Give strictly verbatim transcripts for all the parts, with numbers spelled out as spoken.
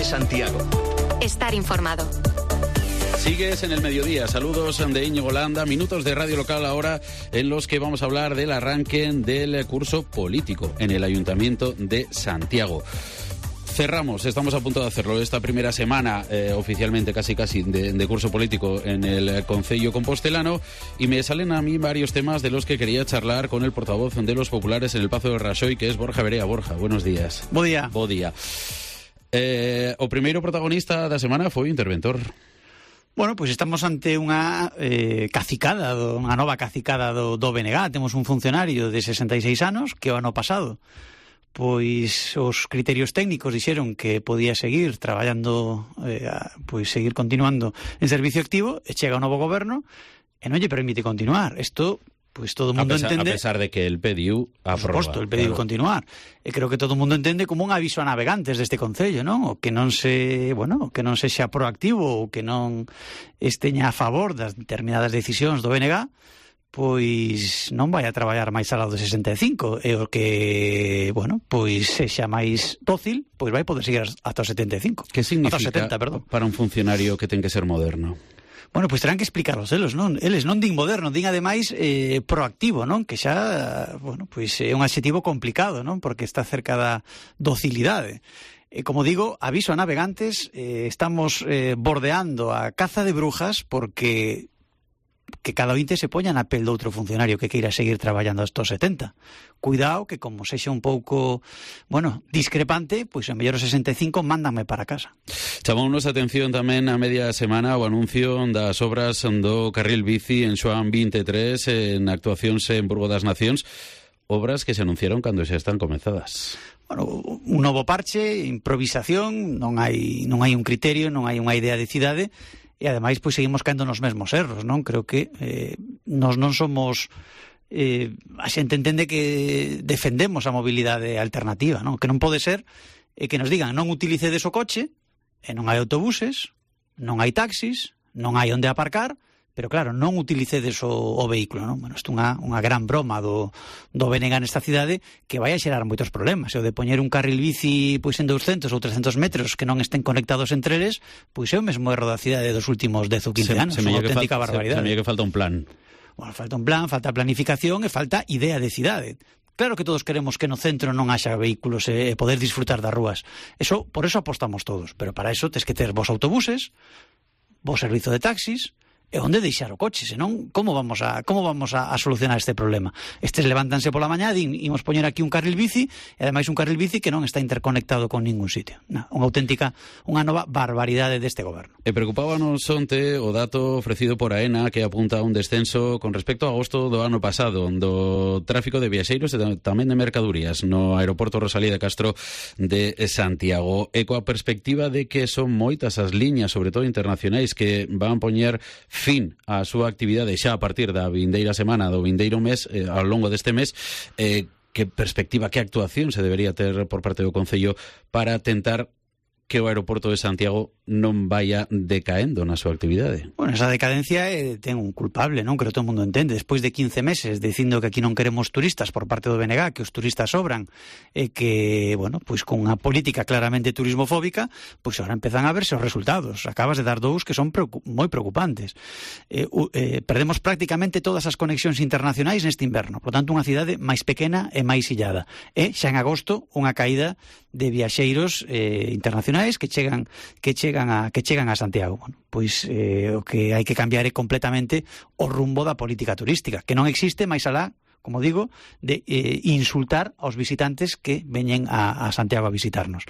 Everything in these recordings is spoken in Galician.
Santiago. Estar informado. Sigues en el mediodía. Saludos de Íñigo Landa. Minutos de radio local ahora en los que vamos a hablar del arranque del curso político en el Ayuntamiento de Santiago. Cerramos, estamos a punto de hacerlo, esta primera semana eh, oficialmente casi casi de, de curso político en el Concello Compostelano, y me salen a mí varios temas de los que quería charlar con el portavoz de los populares en el Pazo de Raxoi, que es Borja Verea. Borja, buenos días. Bo día. Bo día. Eh, o primeiro protagonista da semana foi o interventor. Bueno, pois estamos ante unha eh, cacicada, do, unha nova cacicada do, do B N G. Temos un funcionario de sesenta e seis anos que o ano pasado pois os criterios técnicos dixeron que podía seguir traballando, eh, pois seguir continuando en servicio activo, e chega o novo goberno e non lle permite continuar. Isto, pois todo o mundo a pesar, entende... A pesar de que el pediu a Por suposto, el pediu claro. continuar. E creo que todo o mundo entende como un aviso a navegantes deste concello, non? O que non se, bueno, que non sexa proactivo, ou que non esteña a favor das determinadas decisións do B N G, pois non vai a traballar máis alá do sesenta e cinco, e o que, bueno, pois sexa máis dócil, pois vai poder seguir ata o setenta e cinco. Que significa setenta, perdón, para un funcionario que ten que ser moderno? Bueno, pois terán que explicarlos eles, non? Eles non din moderno, din ademais eh, proactivo, non? Que xa, bueno, pois é un adxetivo complicado, non? Porque está cerca da docilidade. E, como digo, aviso a navegantes, eh, estamos eh, bordeando a caza de brujas, porque que cada ointe se poña na pel de outro funcionario que queira seguir traballando hasta os setenta. Cuidado que, como sexa un pouco, bueno, discrepante, pois en mellor os sesenta e cinco mándanme para casa. Chamounos a atención tamén a media semana o anuncio das obras do carril bici en Xoán vinte e tres en actuacións en Burgo das Nacións, obras que se anunciaron cando xa están comezadas. Bueno, un novo parche, improvisación, non hai non hai un criterio, non hai unha idea de cidade. E ademais, pois seguimos caendo nos mesmos erros, non? Creo que eh, nos non somos... Eh, a xente entende que defendemos a mobilidade alternativa, non? Que non pode ser eh, que nos digan non utilicedes o coche, e non hai autobuses, non hai taxis, non hai onde aparcar, pero claro, non utilicedes o, o vehículo, non? Bueno, isto é unha, unha gran broma do, do B N G nesta cidade que vai a xerar moitos problemas. E o de poñer un carril bici pois en douscentos ou trescentos metros que non estén conectados entre eles, pois é o mesmo erro da cidade dos últimos dez ou quince se, anos. Se unha auténtica fal, barbaridade. Se, se me que falta un plan. Bueno, falta un plan, falta planificación e falta idea de cidade. Claro que todos queremos que no centro non haxa vehículos e poder disfrutar das rúas. Eso, por eso apostamos todos. Pero para eso tes que ter vos autobuses, vos servizo de taxis, e onde deixar o coche, senón como vamos a como vamos a, a solucionar este problema? Estes levántanse pola mañá, din, imos poñer aquí un carril bici, e ademais un carril bici que non está interconectado con ningún sitio. Na, unha auténtica, unha nova barbaridade deste goberno. E preocupábanos onte o dato ofrecido por AENA, que apunta a un descenso con respecto a agosto do ano pasado do tráfico de viaxeiros e tamén de mercadurías no aeroporto Rosalía de Castro de Santiago, e coa perspectiva de que son moitas as liñas, sobre todo internacionais, que van poñer fin á súa actividade xa a partir da vindeira semana, do vindeiro mes, eh, ao longo deste mes. Eh, que perspectiva, que actuación se debería ter por parte do Concello para tentar que o aeroporto de Santiago non vaya decaendo na súa actividade? Bueno, esa decadencia eh, ten un culpable, non? Creo que todo o mundo entende. Despois de quince meses dicindo que aquí non queremos turistas por parte do B N G, que os turistas sobran, e que, bueno, pois con unha política claramente turismofóbica, pois agora empezan a verse os resultados. Acabas de dar dous que son preocup- moi preocupantes. Eh, eh, perdemos prácticamente todas as conexións internacionais neste inverno. Por tanto, unha cidade máis pequena e máis illada. E xa en agosto, unha caída de viaxeiros eh, internacionais que chegan que chegan a que chegan a Santiago. Bueno, pois eh, o que hai que cambiar é completamente o rumbo da política turística, que non existe máis alá, como digo, de eh, insultar aos visitantes que veñen a, a Santiago a visitarnos.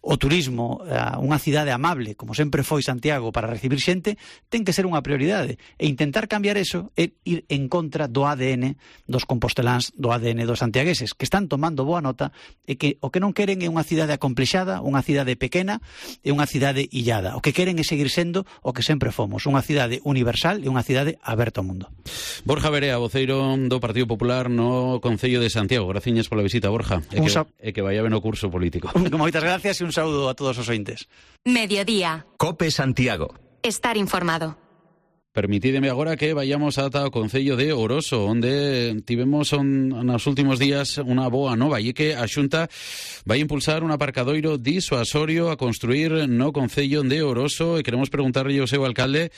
O turismo, a unha cidade amable, como sempre foi Santiago para recibir xente, ten que ser unha prioridade. E intentar cambiar eso é ir en contra do A D N dos composteláns, do A D N dos santiagueses, que están tomando boa nota e que o que non queren é unha cidade acomplexada, unha cidade pequena e unha cidade illada. O que queren é seguir sendo o que sempre fomos, unha cidade universal e unha cidade aberta ao mundo. Borja Verea, voceiro do Partido Popular no Concello de Santiago. Graciñas pola visita, Borja. E que, sa- e que vaya ben o curso político. Moitas gracias e un saúdo a todos os ointes. Mediodía. COPE Santiago. Estar informado. Permitídeme agora que vayamos ata o Concello de Oroso, onde tivemos on, nos últimos días unha boa nova, e que a Xunta vai impulsar un aparcadoiro disuasorio a construir no Concello de Oroso, e queremos preguntarlle ao seu alcalde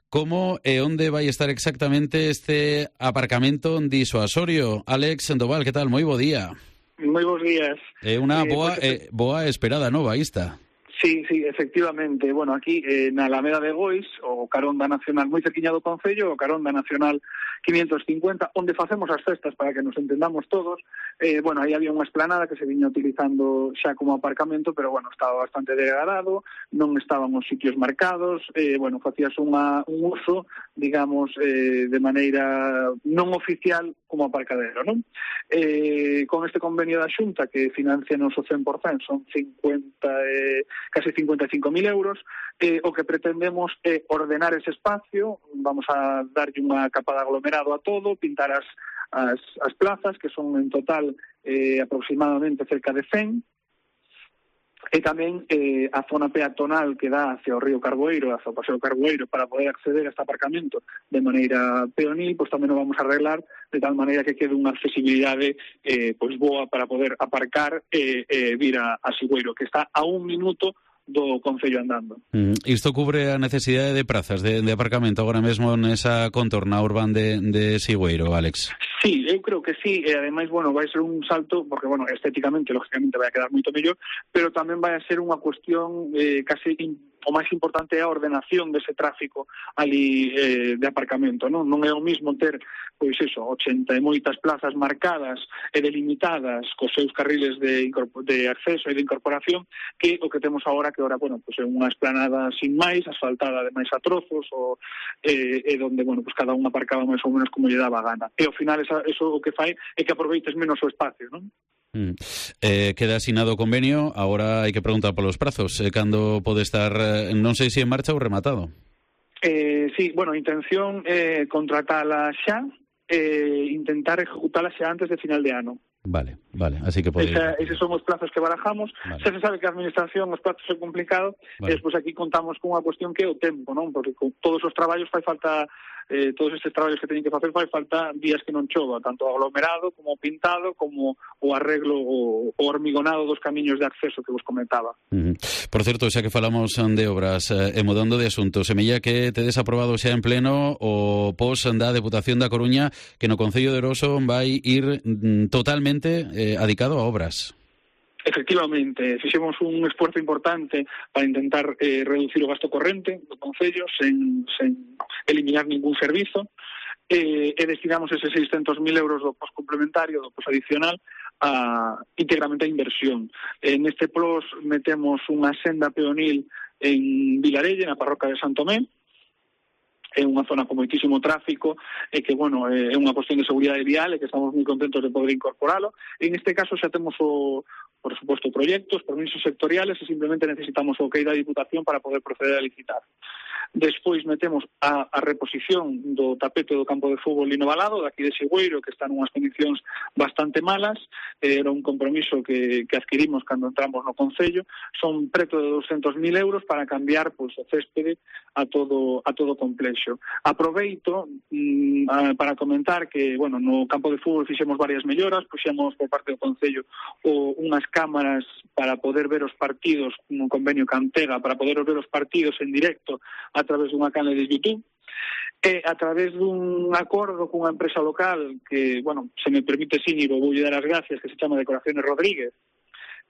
como e onde vai estar exactamente este aparcamento disuasorio. Alex Sandoval, que tal? Moi bo día. Moi bons días. É unha eh, boa, pues, eh, boa esperada nova esta. Sí, sí, efectivamente. Bueno, aquí eh, na Alameda de Gois, o carón da Nacional moi cerquiña do Concello, o carón da Nacional quinientos cincuenta, onde facemos as festas para que nos entendamos todos. Eh, bueno, aí había unha esplanada que se viña utilizando xa como aparcamento, pero, bueno, estaba bastante degradado, non estaban os sitios marcados, eh, bueno, facías unha, un uso, digamos, eh, de maneira non oficial como aparcadero, non? Eh, con este convenio da Xunta, que financia nos o cen por cento, son cincuenta, eh, casi cincuenta e cinco mil euros, eh, o que pretendemos é ordenar ese espacio, vamos a darlle unha capa de aglomerado a todo, pintar as, as, as plazas, que son en total eh, aproximadamente cerca de cen, e tamén eh, a zona peatonal que dá hacia o río Carboeiro, hacia o paseo Carboeiro, para poder acceder a este aparcamento de maneira peonil, pois tamén o vamos a arreglar de tal maneira que quede unha accesibilidade eh, pois boa para poder aparcar e eh, eh, vir a, a Sigüeiro, que está a un minuto do Concello andando. Mm, isto cubre a necesidade de prazas de, de aparcamento agora mesmo nesa contorna urbana de, de Sigüeiro, Alex? Sí, eu creo que sí, e ademais, bueno, vai ser un salto, porque, bueno, estéticamente, lógicamente, vai a quedar moito mellor, pero tamén vai a ser unha cuestión eh, case in, o máis importante é a ordenación dese tráfico ali eh, de aparcamento, non? Non é o mismo ter, pois eso, ochenta e moitas plazas marcadas e delimitadas cos seus carriles de, de acceso e de incorporación que o que temos agora, que ahora, bueno, pues é unha esplanada sin máis, asfaltada de máis a trozos, o, eh, e donde, bueno, pues cada un aparcaba máis ou menos como lle daba a gana. E ao final esa, eso o que fai é que aproveites menos o espacio, non? Mm. Eh, queda asinado o convenio, agora hai que preguntar polos prazos, eh, cando pode estar, eh, non sei se en marcha ou rematado. Eh, sí, bueno, a intención é eh, contratala xa, e eh, intentar ejecutala xa antes de final de ano. Vale, vale, así que pode... Esa, eses son os plazos que barajamos. Vale. Xa se sabe que a administración, os plazos é complicado, vale. E despois aquí contamos con unha cuestión que é o tempo, non? Porque con todos os traballos fai falta, eh, todos estes traballos que teñen que facer fai falta días que non chova, tanto aglomerado como pintado, como o arreglo, o, o hormigonado dos camiños de acceso que vos comentaba. Uh-huh. Por certo, xa que falamos de obras, eh, e mudando de asunto, semella que tedes aprobado xa en pleno o pos da Deputación da Coruña, que no Concello de Oroso vai ir mm, totalmente Eh, adicado a obras. Efectivamente, fixemos un esforzo importante para intentar eh, reducir o gasto corrente do Concello sen, sen eliminar ningún servizo, eh, e destinamos eses seiscentos mil euros do pos complementario, do pos adicional, a, íntegramente a inversión. En este plos metemos unha senda peonil en Vilarelle, na parroquia de Santomé, é unha zona con moitísimo tráfico e que, bueno, é unha cuestión de seguridade vial e que estamos moi contentos de poder incorporalo. En este caso xa temos o, por suposto, proxectos, permisos sectoriales e simplemente necesitamos o ok da Diputación para poder proceder a licitar. Despois metemos a, a reposición do tapete do campo de fútbol Lino Valado, daqui de Sigüeiro, que está nunhas condicións bastante malas. Era un compromiso que, que adquirimos cando entramos no Concello. Son preto de doscientos mil euros para cambiar, pois, o céspede a todo a todo complexo. Aproveito mm, a, para comentar que, bueno, no campo de fútbol fixemos varias melloras, puxemos por parte do Concello o, unhas cámaras para poder ver os partidos, un convenio Cantega, para poder ver os partidos en directo a través dunha canle de YouTube, e a través dun acordo cunha empresa local que, bueno, se me permite, Síñigo, vou dar as gracias, que se chama Decoraciones Rodríguez.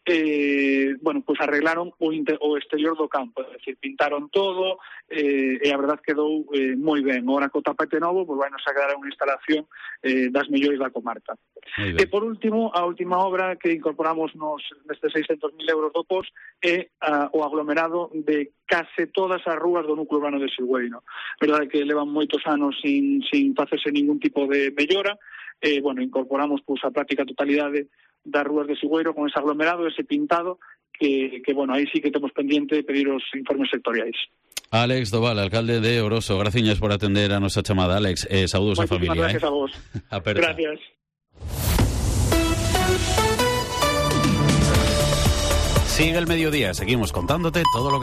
Eh, bueno, pois pues arreglaron o, inter, o exterior do campo, é dicir, pintaron todo, eh, e a verdad quedou eh, moi ben. Ora co tapete novo, pois pues, vai nos a quedar unha instalación eh, das mellores da comarca. E por último, a última obra que incorporamos nos nestes seiscentos mil euros do pos é uh, o aglomerado de case todas as rúas do núcleo urbano de Sigüeiro. Verdade que levan moitos anos sin, sin facerse ningún tipo de mellora, e, eh, bueno, incorporamos pois, a práctica totalidade das rúas de Sigüeiro con ese aglomerado, ese pintado, que, que, bueno, aí sí que temos pendiente de pedir os informes sectoriais. Alex Doval, alcalde de Oroso, graciñas por atender a nosa chamada, Alex. Eh, saúdos a familia. Gracias eh. a vos. Gracias. Sigue el mediodía, seguimos contándote todo lo que